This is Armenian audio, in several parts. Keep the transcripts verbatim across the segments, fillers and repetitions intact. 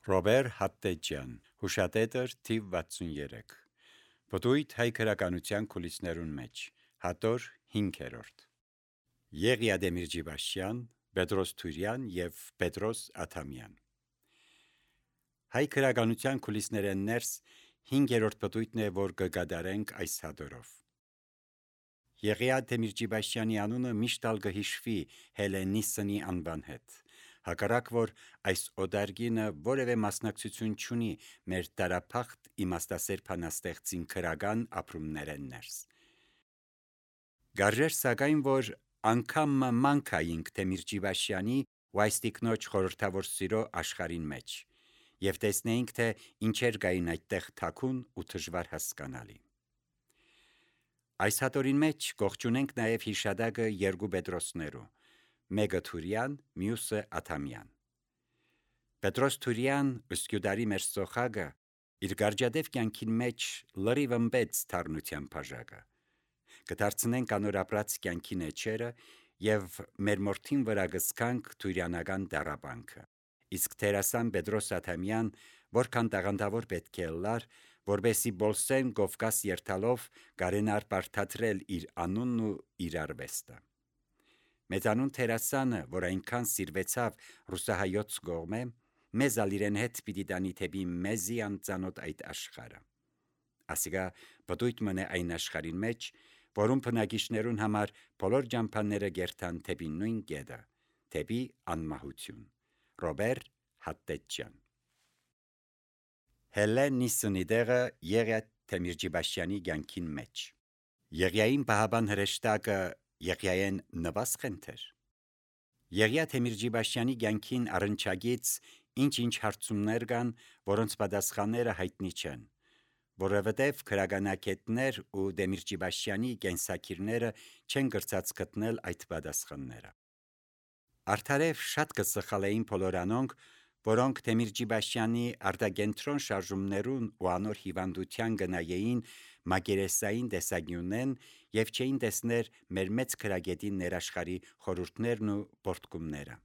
Ռոբեր Հատտեջյան, հուշատետր թիվ վաթսունյերեք, պտույտ հայ քրականության կուլիսներուն մեջ, հատոր հինգերորդ։ Եղիա Դեմիրճիբաշյան, Պետրոս Թուրյան և Պետրոս Աթամյան։ Հայ քրականության կուլիսներեն ներս հինգերորդ պտույտն է, որ կգադարենք այս հատորով։ Եղիա Դեմիրճիբաշյանի անունը միշտ ալ կհիշվի Հելենիսսնի անվան հետ։ Հակառակ որ այս օդարգինը որևէ մասնակցություն չունի մեր տարափախտ իմաստասեր փանաստեղծին քրական ապրումներեն ներս։ Գարժեր սակայն որ անգամ մանքայինք Դեմիրճիբաշյանի ու այս տիկնոջ խորհրդավոր սիրո աշխարհին մեջ և տեսնեինք, թե ինչեր կային այդտեղ թաքուն ու դժվար հասկանալի։ Այս հատորին մեջ կողջունենք նաև հիշադակը երկու Պետրոսներու, մեկը Թուրյան, մյուսը Աթամյան։ Պետրոս Թուրյան ըսկյուդարի մեր սոխագը իր գարջադև կյանքին մեջ լրիվ ըմբեց թարնության բաժակը։ Կդարձնենք անոր ապրած կյանքի էջերը և մեր մորթին վրա կզքանք թուրյանական տառապանքը։ Իսկ դերասան Պետրոս Աթամյան որքան տաղանդավոր պետք է լար, որբեսի բոլսեն Կովկաս երթալով կարենար բարթադրել իր անունն ու իր արվեստը։ Մեծանուն դերասանը, որ այնքան սիրվեցավ ռուսահայոց կողմէ, մեզ ալ իրեն հետ պիտի տանի թեպի մեզի անծանոթ այդ աշխարհը։ Ասիկա պտույտ մնե այն աշխարհին մեջ, որում բնակիչներուն համար բոլոր ջամփանները գերթան թեպի նույն կետը, թեպի անմահություն։ Ռոբեր Հատտեջյան։ Հելենիսսնի դեղը Եղիա Դեմիրճիբաշյանի կյանքին մեջ։ Եղիային պահաբան հրեշտակը Եղիային նվասխենթեր։ Եղիա Դեմիրճիբաշյանի կյանքին առնչագից ինչ-ինչ հարցումներ կան, որոնց պատասխանները հայտնի չեն, որովհետև քրագանակետներ ու Դեմիրճիբաշյանի կենսակիրները չեն կրծած գտնել այդ պատասխանները։ Արդարև շատ կսխալեին բոլոր անոնք, որոնք Դեմիրճիբաշյանի արտագենտրոն շարժումներուն ու անոր հիվանդության գնայեին մակերեսային տեսագյունեն և չէին տեսներ մեր մեծ քրագետի ներաշխարի խորհուրդներն ու պորտկումները։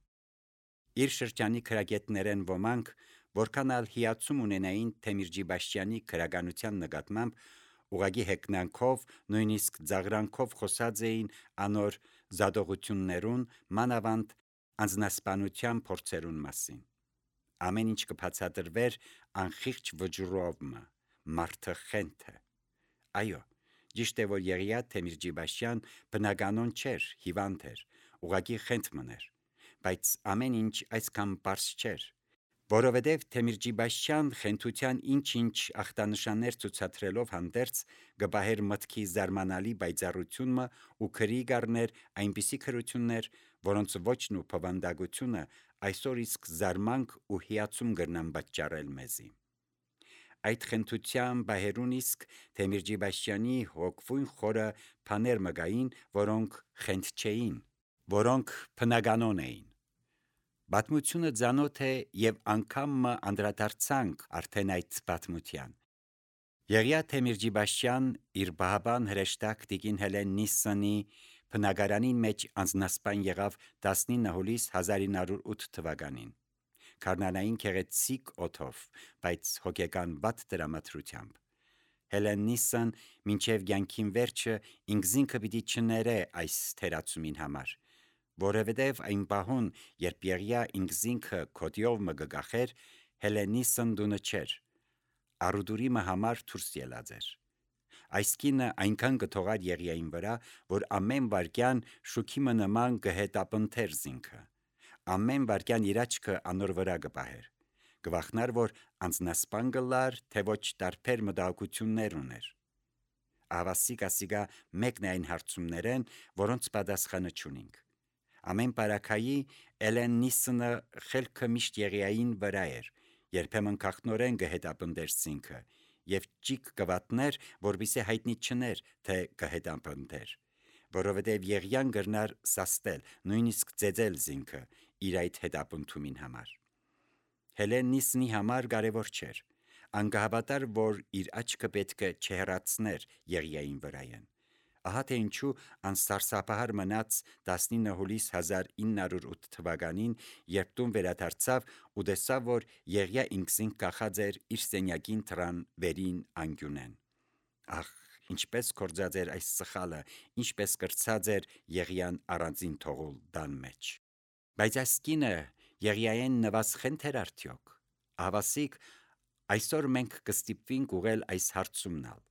Իր շրջանի քրագետներեն ոմանք, որքան ալ հիացում ունենային Դեմիրճիբաշյանի քրագանության նկատմամբ, ուղղակի հեգնանքով, նույնիսկ ձաղրանքով խոսած էին անոր զադողություններուն, մանավանդ անձնասպանության փորձերուն մասին։ Ամեն ինչ կբացատրվեր անխիղճ վճռով մը, մարդը խենթ է։ Այո, ճիշտ է, որ Եղիա Դեմիրճիբաշյան բնականon չէր, հիվանդ էր, ուղղակի խենթ մներ, բայց ամեն ինչ այսքան պարզ չէր, որովհետև Դեմիրճիբաշյան խենթության ինչ-ինչ ախտանշաններ ցուցադրելով հանդերձ կպահեր մտքի զարմանալի պայծառությունը ու քրի կառներ այնպիսի քրություններ, որոնց ոճն ու բովանդակությունը այսօր իսկ զարմանք ու հիացում կրնան պատճառել մեզի։ Այդ խենթության պահերուն իսկ Դեմիրճիբաշյանի հոգվույն խորը բաներ մը կային, որոնք խենթ չէին, որոնք բնականon էին։ Պատմությունը ծանոթ է և անգամ մը անդրադարձանք արդեն այդ պատմության։ Եղիա Դեմիրճիբաշյան իր պահաբան հրեշտակ տիկին Հելենիսսնի բնակարանին մեջ անձնասպան եղավ տասնինը հուլիս հազար ինը հարյուր ութ թվականին, գարնանային գեղեցիկ օդով, բայց հոգեկան վատ տրամադրությամբ։ Հելենիսսն մինչև կյանքին վերջը ինքզինքը պիտի չներե այս թերացումին համար, որովհետև այն պահուն, երբ Եղիա ինքզինքը քոդիով մը կգախեր, Հելենիսսն տունը չէր, առուտուրի մը համար դուրս ելած էր։ Այս կինը այնքան կթողար Եղիային վրա, որ ամեն վայրկյան շուքի մը նման կհետապնդեր զինքը, ամեն վայրկյան իր աչքը անոր վրա կպահեր, կվախնար, որ անձնասպան կլար, թե ոչ տարբեր մտահոգություններ ուներ։ Ահավասիկ-ասիկա մեկն է այն հարցումներեն, որոնց պատասխանը չունինք։ Ամեն պարագայի Հելենիսսնը խելքը միշտ Եղիային վրա էր, երբեմն քաղտնորեն կհետապնդեր զինքը և ճիգ կվատներ, որպեսզի հայտնի չներ, թե կհետապնդեր, որովհետև Եղիան կրնար սաստել, նույնիսկ ծեծել զինքը իր այդ հետապնդումին համար։ Հելենիսսնի համար կարևոր չէր, ան կհավատար, որ իր աչքը պետք է չհեռացներ Եղիային վրայեն, Ահա թե ինչու անսարսափահար մնաց տասնինը հուլիս հազար ինը հարյուր ութ թվականին, երբ տուն վերադարձավ ու տեսավ, որ Եղիա ինքզինք կախած էր իր սենյակին դռան վերին անկյունեն։ Ախ, ինչպես կործած էր այս սխալը, ինչպես կրծած էր Եղիան առանձին թողուլ տան մեջ։ Բայց այս կինը Եղիային նվազ խենթեր արդյոք։ Ահավասիկ այսօր մենք կստիպվենք ուղղել այս հարցումնալ։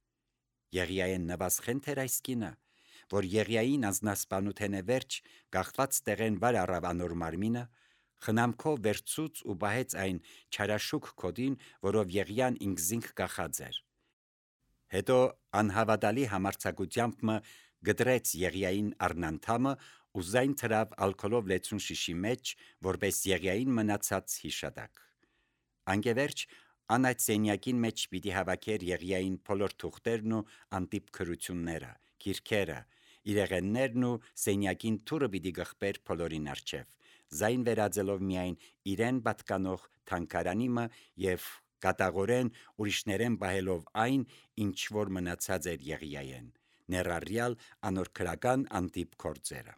Եղիային նվազ խենթեր այս կինը, որ Եղիային անձնասպանութենե վերջ գաղթված տեղեն վար առավ անոր մարմինը, խնամքով վերցուց ու բահեց այն չարաշուք քոդին, որով Եղիան ինքզինք կախած էր։ Հետո անհավատալի համարձակությամբ մը գդրեց Եղիային առնանդամը ու զայն թրավ ալկոլով լեցուն շիշի մեջ, որպես Եղիային մնացած հիշադակ։ Անկևերջ ան այդ սենյակին մեջ պիտի հավաքեր Եղիային բոլոր թուղթերն ու անտիպ քրությունները, գիրքերը, իրեղեններն ու սենյակին թուրը պիտի գխբեր բոլորին առջև, զայն վերածելով միայն իրեն պատկանող թանկարանիմը եւ կատաղորեն ուրիշներեն բահելով այն, ինչ որ մնացած էր Եղիային, ներառյալ անոր քրական անտիպ գործերը։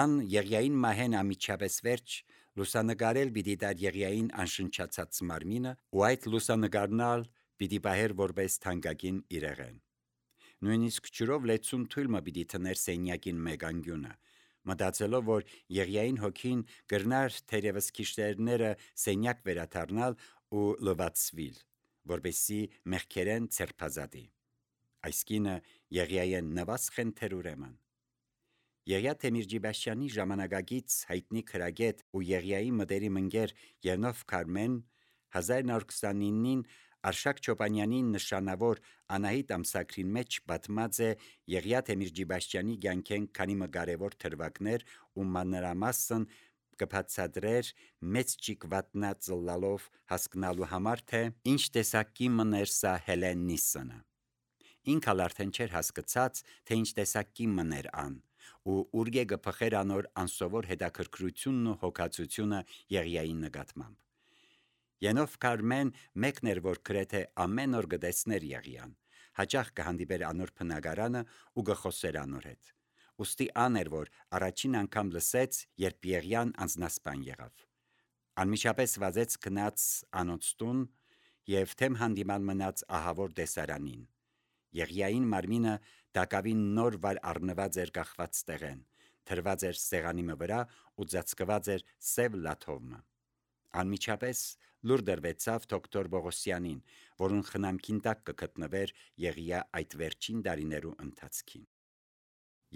Ան Եղիային մահեն ամիջապես վերջ լուսանկարել պիտի դար Եղիային անշնչացած մարմինը ու այդ լուսանկարնալ պիտի բահեր որպես թանկագին իրեղեն։ Նույնիսկ ջրով լեցուն թույլը պիտի թներ սենյակին մեկ անկյունը, մտածելով, որ Եղիային հոգին կրնար թերևս քիշերները սենյակ վերադառնալ ու լվացվիլ, որպեսզի մեղքերեն ցերփազատի։ Այս կինը Եղիային նվազ խենթեր ուրեմն։ Եղիա Թեմիրջիբաշյանի ժամանակակից հայտնի քրագետ ու Եղիայի մտերիմ ընկեր Ենով Քարմեն հազար նոր քսանինին Արշակ Չոպանյանի նշանավոր Անահիտ ամսագրին մեջ պատմած է Եղիա Թեմիրջիբաշյանի կյանքեն քանի մը կարևոր թրվակներ ու մանրամասն կբացատրեր մեծ ճիկվատնա ծլլալով հասկնալու համար, թե ինչ տեսակի մներ սա Հելեննիսոնը։ Ինքալ արդեն չէր հասկացած, թե ինչ տեսակի մներ ան, ու ուրգե գփխեր անոր անսովոր հետաքրքրությունն ու հոգացությունը Եղիայի նկատմամբ։ Ենով Քարմեն մեկն էր, որ գրեթե ամեն օր գտեսներ Եղիան, հաճախ կհանդիպեր անոր բնակարանը ու գխոսեր անոր հետ։ Ուստի ան էր, որ առաջին անգամ լսեց, երբ Եղիան անձնասպան եղավ։ Անմիջապես վազեց գնաց անոնց տուն եւ թեմ հանդիման մնաց ահավոր տեսարանին։ Եղիային մարմինը դակավին նոր վար առնված էր կախված տեղեն, թրված էր սեղանի վրա ու ծածկված էր սև լաթովը։ Անմիջապես լուր դրվեցավ դոկտոր Բողոսյանին, որուն խնամքին տակ կգտնվեր Եղիա այդ վերջին տարիներու ընթացքին։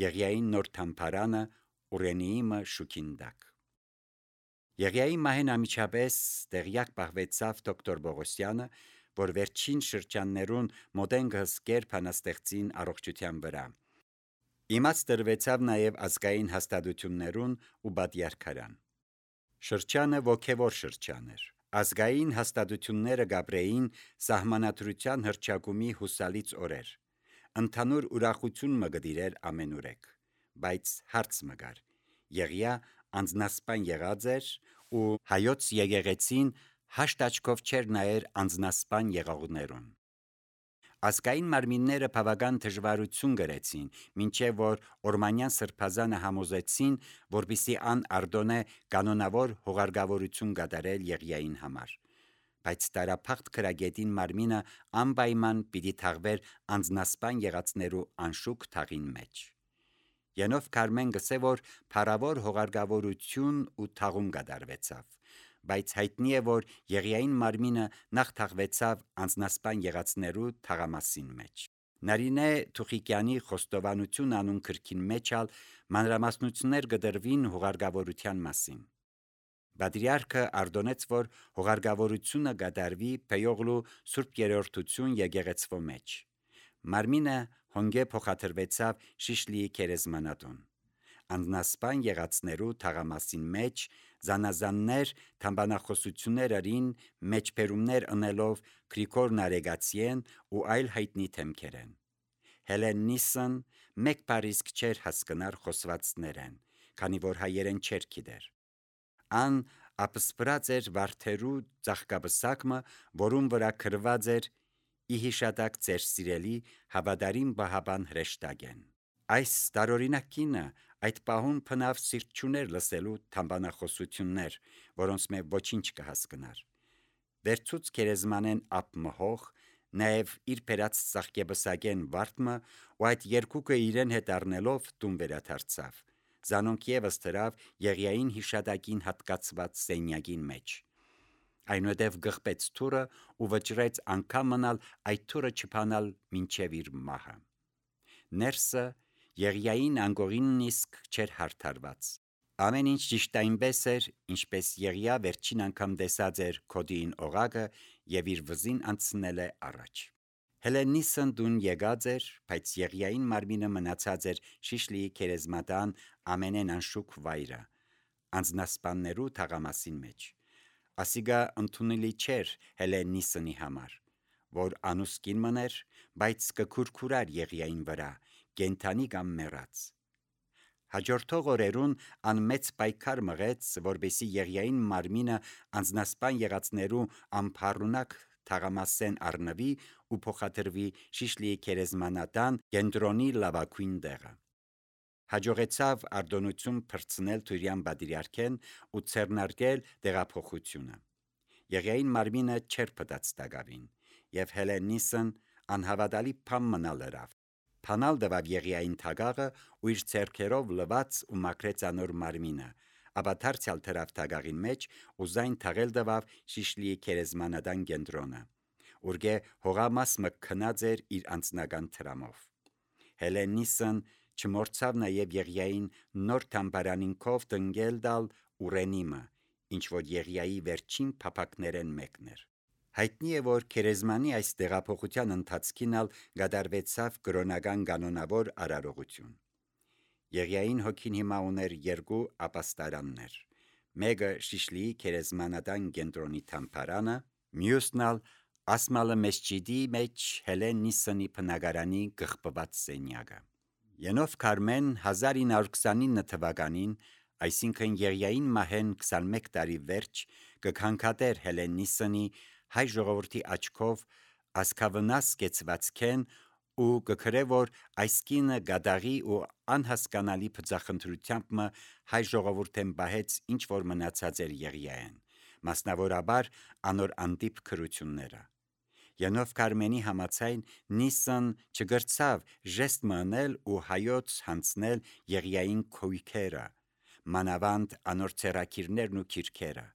Եղիային նոր թամփարանը Ուրենիիմը շուքին տակ։ Եղիայի մահեն ամիջապես տեղյակ պահվեցավ դոկտոր Բողոսյանը, որ վերջին շրջաններուն մոդեն գհսկեր փանաստեղծին առողջության վրա։ Իմաց դրվեցավ նաև ազգային հաստատություններուն ու բադյարքարան։ Շրջանը ոգևոր շրջան էր։ Ազգային հաստատությունները գաբրեին սահմանադրության հռչակումի հուսալից օրեր։ Ընդհանուր ուրախություն մը գդիրեր ամենուրեք, բայց հարց մը գար։ Եղիա անձնասպան եղած էր ու հայոց եկեղեցին հաշտ աչքով չէր նայեր անձնասպան եղողներուն։ Ազգային մարմինները բավական դժվարություն գրեցին, մինչև որ Օրմանյան սրբազանը համոզեցին, որպիսի ան արդոնե կանոնավոր հողարգավորություն կատարել Եղիային համար։ Բայց տարափախտ քրագետին մարմինը անպայման պիտի թաղվեր անձնասպան եղածներու անշուք թաղին մեջ։ Ենով Քարմեն գսե, որ փառավոր հողարգավորություն ու թաղում կատարվեցավ, բայց հայտնի է, որ Եղիային մարմինը նախ թաղվեցավ անձնասպան եղածներու թաղամասին մեջ։ Նարինե Թուխիկյանի խոստովանություն անուն քրքին մեջ ալ մանրամասնություններ կդրվին հողարգավորության մասին։ Բադրիարքը արդոնեց, որ հողարգավորությունը կատարվի Փեյողլու Սուրբ Երրորդություն եկեղեցվո մեջ։ Մարմինը հոնգե փոխադրվեցավ Շիշլիի քերեզմանատուն։ Անձնասպան եղածներու թաղամասին մեջ զանազաններ թամբանախոսություններ արին մեջբերումներ ընելով Գրիգոր Նարեգացիեն ու այլ հայտնի թեմքերեն։ Հելեննիսն մեկ բարիսկ չէր հասկնար խոսվածներեն, քանի որ հայերեն չէր գիտեր։ Ան ապսպրած էր վարդերու ծաղկաբսակը, որուն վրա գրված էր ի հիշադակ ձեր սիրելի հավատարիմ Բահաբան հրեշտակեն։ Այս տարօրինակ կինը այդ պահուն փնավ սիրտ չուներ լսելու թամբանախոսություններ, որոնց մե ոչինչ կհասկնար։ Վերցուց քերեզմանեն ապ մհող, նաև իր փերած ծաղկեբսագեն վարդմը ու այդ երկուկը իրեն հետ առնելով տուն վերադարձավ։ Զանոնք ևս դրավ Եղիային հիշադակին հատկացված սենյակին մեջ։ Այնուհետև գղպեց թուրը ու վճռեց անգամ մնալ այդ թուրը չփանալ մինչև իր մահը։ Ներսը Եղիային անգողինն իսկ չէր հարթարված։ Ամեն ինչ ճիշտ այնպես էր, ինչպես Եղիա վերջին անգամ տեսած էր քոդիին օղակը եւ իր վզին անցնել է առաջ։ Հելենիսն դուն եկած էր, բայց Եղիային մարմինը մնացած էր Շիշլիի քերեզմատան ամենեն անշուք վայրը, անձնասպաններու թաղամասին մեջ։ Ասիգա ընդունելի չէր Հելենիսնի համար, որ անուսկին մներ, բայց կքուրքուրար Եղիային վրա, կենթանի կամ մեռած։ Հաջորդող օրերուն անմեծ պայքար մղեց, որբեսի Եղիային մարմինը անձնասպան եղածներու ամփառունակ թաղամասեն առնվի ու փոխադրվի Շիշլիի քերեզմանատան կենտրոնի լավագույն տեղը։ Հաջողեցավ արտոնություն փրցնել Թուրյան բادرիարքեն ու ցերնարկել տեղափոխությունը։ Եղիային մարմինը չէր պտած տակավին, եւ Հելենիսն անհավատալի փամ մնալ լրավ։ Փանալ դվավ Եղիային թագաղը ու իր ցերքերով լված ու մաքրեց անոր մարմինը, ապա դարձյալ թրավ թագաղին մեջ ու զայն թաղել դվավ Շիշլիի քերեզմանադան կենտրոնը, ուրգե հողամաս մը քնած էր իր անձնական թրամով։ Հելենիսն չմորցավ նաև Եղիային նոր թամբարանին կով տնգել դալ Ուրենիմը, ինչ որ Եղիայի վերջին փափակներեն մեկն էր։ Հայտնի է, որ քերեզմանի այս տեղափոխության ընթացքին ալ գդարվեցավ կրոնական կանոնավոր արարողություն։ Եղիային հոգին հիմա ուներ երկու ապաստարաններ։ Մեկը Շիշլիի քերեզմանատան կենտրոնի թամբարանը, մյուսն ալ Ասմալը մեջջիդի մեջ Հելենիսնի բնակարանի գղպված սենյակը։ Ենով Քարմեն հազար ինը հարյուր քսանինը թվականին, այսինքն Եղիային մահեն քսանմեկ տարի վերջ, կքանքատեր Հելենիսնի հայ ժողովրդի աչքով ասկավնաս կեցվածքեն ու կքրե, որ այս կինը գադաղի ու անհասկանալի բծախնդրությամբ մը հայ ժողովուրդեն բահեց ինչ որ մնացած էր Եղիային, մասնավորաբար անոր անտիպ քրությունները։ Յանով Քարմենի համաձայն Նիսն չգրցավ ժեստ մնել ու հայոց հանցնել Եղիային քույքերը, մանավանդ անոր ցերակիրներն ու քիրքերը։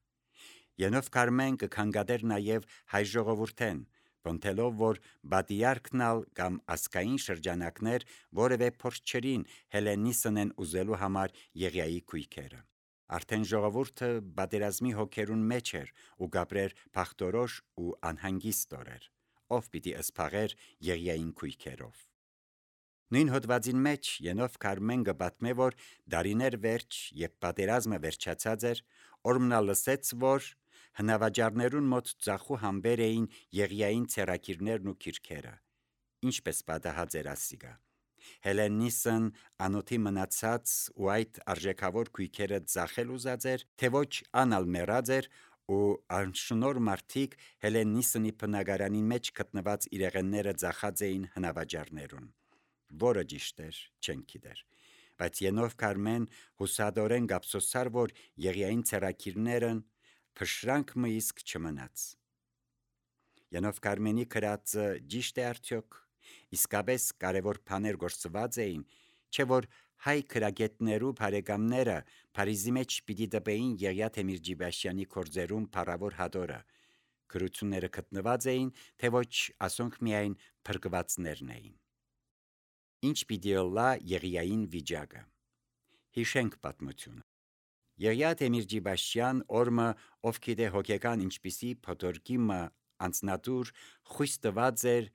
Յանով Քարմեն կքանգադեր նաև հայ ժողովուրդեն, բնթելով, որ բادرիարքն ալ կամ ասկային շրջանակներ որևէ փորձ չրին Հելենիսնեն ուզելու համար Եղիայի քույքերը։ Արդեն ժողովուրդը բادرազմի հոգերուն մեջ էր ու գաբրեր փախտորոշ ու անհանգիստ օրեր, ով պիտի սփաղեր Եղիային քույքերով։ Նույն հոդվածին մեջ Ենով Քարմեն գբատմե, որ դարիներ վերջ, երբ պատերազմը վերջացած էր, օրմնա լսեց, որ հնավաճառներուն մոտ ծախու համբեր էին Եղիային ցերակիրներն ու քիրքերը, ինչպես պատահած էր ասիգա։ Հելենիսն անոթի մնացած ու այդ արժեքավոր քույքերը ծախել ուզած էր, թե ոչ անալ մեռած էր ու անշնոր մարդիկ Հելենիսնի բնակարանի մեջ գտնված իրեղենները ծախած էին հնավաճառներուն, որը ճիշտ էր, չեն գիտեր, բայց Ենով Քարմեն հուսադորեն գապսոսար, որ Եղիային ցերակիրներն փշրանք մը իսկ չմնաց։ Ենով Քարմենի քրածը ճիշտ է արդյոք, իսկապես կարևոր բաներ գործված էին, չէ որ հայ քրագետներու բարեկամները Փարիզի մեջ պիտի դպեին Եղիա Թեմիրջիբաշյանի կորձերում փառավոր հադորը, քրությունները գտնված էին, թե ոչ ասոնք միայն փրկվածներն էին։ Ինչ պիտի լա Եղիային վիճակը։ Հիշենք պատմությունը։ Եղիա Թեմիրջիբաշյան օրմը ով գիտե հոգեկան ինչպիսի փոթորկի մը անձնատուր խույս տված էր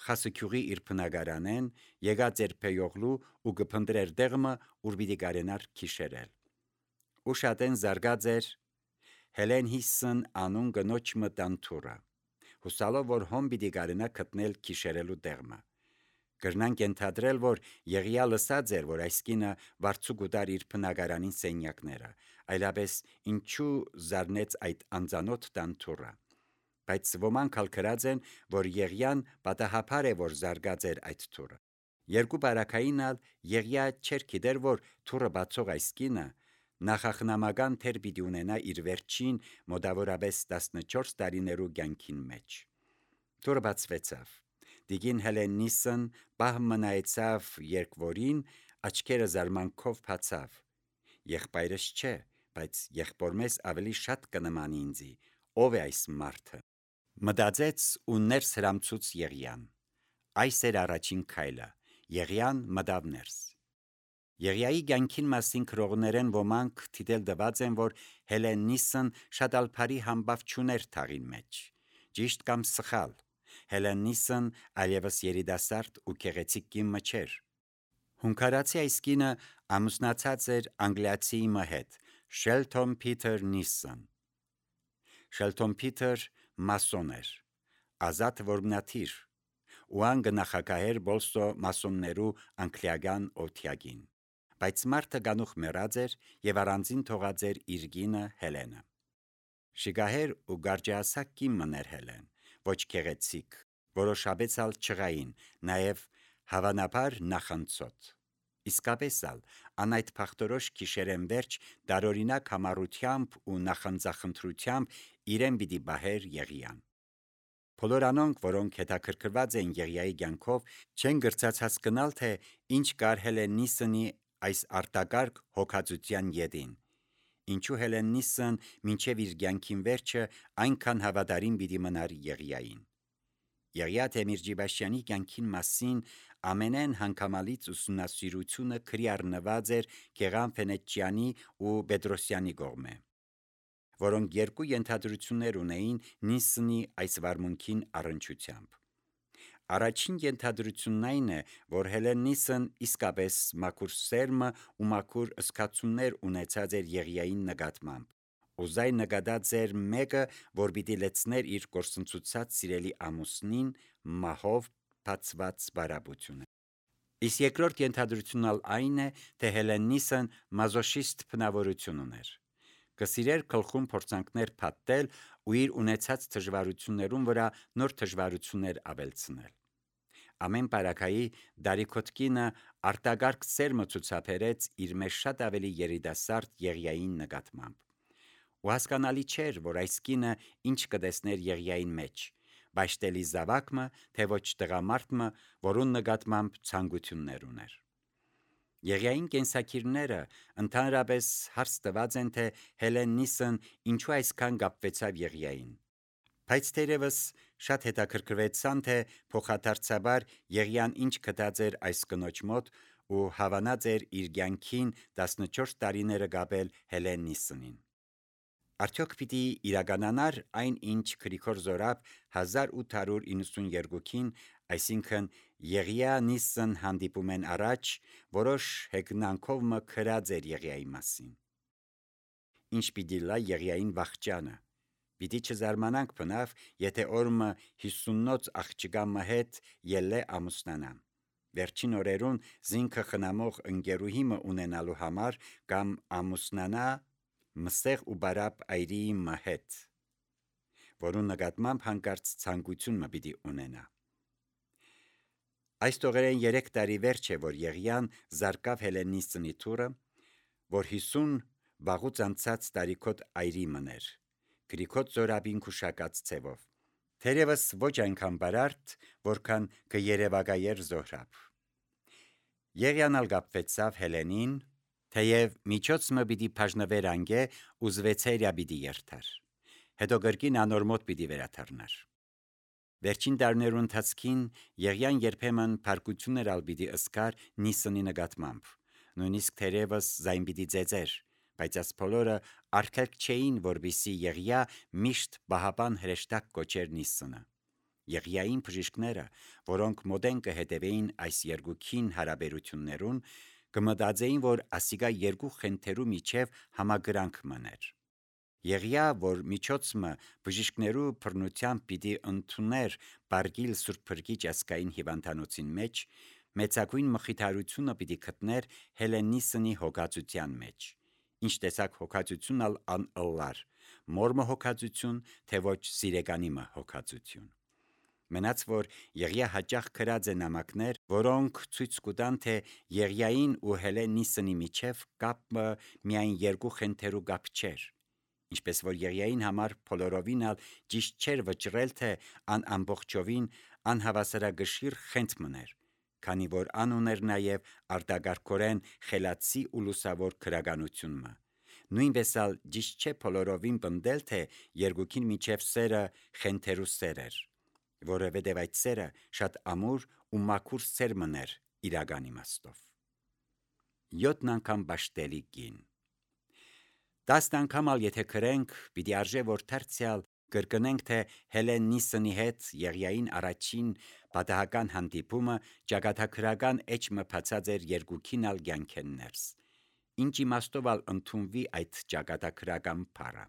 խասուքյուղի իր բնակարանեն, եկած էր Փեյողլու ու կփնտրեր դեղմը, ուր պիտի կարենար քիշերել։ Ու շատեն զարգած էր Հելենիսն անուն գնոջ մը տանթուրը, հուսալով, որ հոմ պիտի կարենա գտնել քիշերելու դեղմը։ Կրնանք ենթադրել, որ Եղիա լսած էր, որ այս կինը վարձու գուտար իր բնակարանին սենյակները, այլապես ինչու զարնեց այդ անծանոթ տանթուրը։ բայց ոմանք ալ գրած են, որ Եղիան պատահաբար է, որ զարգած էր այդ թուրը։ Երկու բարակային ալ Եղիա չէր գիտեր, որ թուրը բացող այս կինը նախախնամական թեր պիտի ունենա իր վերջին մոտավորապես տասնչորս տարիներու կյանքին մեջ։ Թուրը բացվեցավ։ Դիգին Հելենիսն բահ մնայեցավ երկվորին, աչքերը զարմանքով բացավ։ Եղբայրս չէ, բայց եղբորմես ավելի շատ կնմանի ինձի, ով է այս մարդը։ Մտածեց ու ներս հրամցուց Եղիան։ Այս էր առաջին քայլը։ Եղիան մտավ ներս։ Եղիայի կյանքին մասին քրողներեն ոմանք թիթել դված են, որ Հելենիսն շատ ալփարի համբավ չուներ թաղին մեջ։ Ճիշտ կամ սխալ։ Հելենիսն այլևս երիտասարդ ու գեղեցիկ կին չէր։ Հունգարացի այս կինը ամուսնացած էր անգլիացի մը հետ, Շելթոն Փիթեր Նիսսն։ Շելթոն Փիթեր մասոն էր, ազատ որմնաթիր, ու ան գնախագահեր բոլսո մասոններու անգլիական օթյագին։ Բայց մարդը գանուխ մեռած էր եւ առանձին թողած էր իր կինը Հելենը։ Շիգահեր ու գարջասակ կին մներ Հելեն, ոչ գեղեցիկ, որոշաբեց ալ չղային, նաեւ հավանաբար նախանցոտ։ Իսկապես ալ ան այդ փախտորոշ գիշերեն վերջ դարօրինակ համառությամբ ու նախանձախնդրությամբ իրեն պիտի բահեր Եղիան։ Բոլոր անոնք, որոնք հետաքրքրված են Եղիայի կյանքով, չեն գրծած հասկանալ, թե ինչ կար Հելենիսնի այս արտակարգ հոգածության ետին։ Ինչու Հելենիսն մինչև իր կյանքին վերջը այնքան հավատարիմ պիտի մնար Եղիային։ Եղիա Թեմիրջիբաշյանի կյանքին մասին ամենեն հանգամանալից ուսումնասիրությունը քրի առնված էր Գեղամ Վենեցիանի ու Պետրոսյանի կողմէ, որոնք երկու ենթադրություններ ունեին Նիսսնի այս վարմունքին առնչությամբ։ Առաջին ենթադրությունն այն է, որ Հելենիսն իսկապես մաքուր սերմը ու մաքուր զգացումներ ունեցած էր Եղիային նկատմամբ, ու զայն նկատած էր մեկը, որ պիտի լեցներ իր կորսնցուցած սիրելի ամուսնին մահով բացված բարապությունը։ Իսկ երկրորդ ենթադրությունն այն է, թե Հելենիսն մազոխիստ բնավորություն ուներ։ Կսիրեր գլխում փորձանքներ փաթթել ու իր ունեցած դժվարություններուն վրա նոր դժվարություններ ավելցնել։ Ամեն բարակայի դարիքոտկինը արտագարգ սերմը ցուցաբերեց իր մեջ շատ ավելի երիտասարդ Եղիային նկատմամբ։ Ու հասկանալի չէր, որ այս կինը ինչ կտեսներ Եղիային մեջ, բայշտելի զավակը, թե ոչ տղամարդը, որուն նկատմամբ ցանկություններ ուներ։ Եղիային կենսակիրները ընդհանրապես հարց տված են, թե Հելենիսն ինչու այսքան կապվեցավ Եղիային։ Բայց թերևս շատ հետաքրքրվեցան, թե փոխադարձաբար Եղիան ինչ գտած էր այս կնոջ մոտ ու հավանած էր իր կյանքին տասնչորս տարիները կապել Հելենիսնին։ Արդյոք պիտի իրականանար այն, ինչ Գրիգոր Զորաբ հազար ութ հարյուր իննսունյոթին, այսինքն Եղիա Նիսսն հանդիպում են առաջ, որոշ հեգնանքով մը գրած էր Եղիայի մասին։ Ինչ պիտի լա Եղիային վախճանը։ Պիտի չզարմանանք բնավ, եթե օրը հիսունոց աղջկա մը հետ ելլե ամուսնանա։ Վերջին օրերուն զինքը խնամող ընկերուհի մը ունենալու համար կամ ամուսնանա մսեղ ու բարապ այրիի մը հետ, որուն նկատմամբ հանկարծ ցանկություն մը պիտի ունենա։ Այս տողերեն երեք տարի վերջ է, որ Եղիան զարկավ Հելենիսնի թուրը, որ հիսուն վաղուց անցած տարիքոտ այրի մներ, Գրիգոր Զորաբին քուշակած ցևով, թերևս ոչ այնքան բարարդ, որքան կերևակայեր Զոհրաբ։ Եղիան ալ կապվեցավ Հելենին, թեև միջոցը պիտի բաժնվեր անգե ու զվեցերյա պիտի երթար, հետո կրկին անոր մոտ պիտի վերադառնար։ Վերջին տարիներու ընթացքին Եղիան երբեմն փարկություններ ալ պիտի ըսկար Նիսսնի նկատմամբ, նույնիսկ թերևս զայն պիտի ծեծեր, բայց այս բոլորը արգելք չէին, որպեսզի Եղիա միշտ բահապան հրեշտակ կոչեր Նիսսնը։ Եղիային բժիշկները, որոնք մոդեն կհետևեին այս երկուքին հարաբերություններուն, կմտածեին, որ ասիկա երկու խենթերու միջև համագրանք մներ։ Եղիա, որ միջոցը բժիշկներու բռնությամբ պիտի ընդուներ Բարգիլ Սուրբ Փրկիչ ասկային հիվանդանոցին մեջ, մեծագույն մխիթարությունը պիտի գտներ Հելենիսնի հոգածության մեջ, ինչ տեսակ հոգածություն ալ անըլլար, մորմը հոգածություն, թե ոչ սիրեգանիմը հոգածություն։ Մնաց որ Եղիա հաճախ կրած է նամակներ, որոնք ցույց կտան, թե Եղիային ու Հելենիսնի միջև կապը միայն երկու խենթերու կապ չէր, ինչպես որ Եղիային համար բոլորովին ալ ճիշտ չէր վճռել, թե ան ամբողջովին անհավասարագշիր խենթ մներ, քանի որ ան ուներ նաև արտագարկորեն խելացի ու լուսավոր քրագանությունը։ Նույնպես ալ ճիշտ չէ բոլորովին պնդել, թե երկուքին միջև սերը խենթերու սեր էր, որովհետև այդ սերը շատ ամուր ու մաքուր սեր մներ իրական իմաստով։ Յոթն անգամ բաշտելի կին։ Տասն անգամ ալ եթե քրենք, պիտի արժե որ դարձյալ կրկնենք, թե Հելենիսնի հետ Եղիային առաջին պատահական հանդիպումը ճակատագրական էջը բացած էր երկուքին ալ կյանքեն ներս։ Ինչ իմաստով ալ ընդունվի այդ ճակատագրական բառը։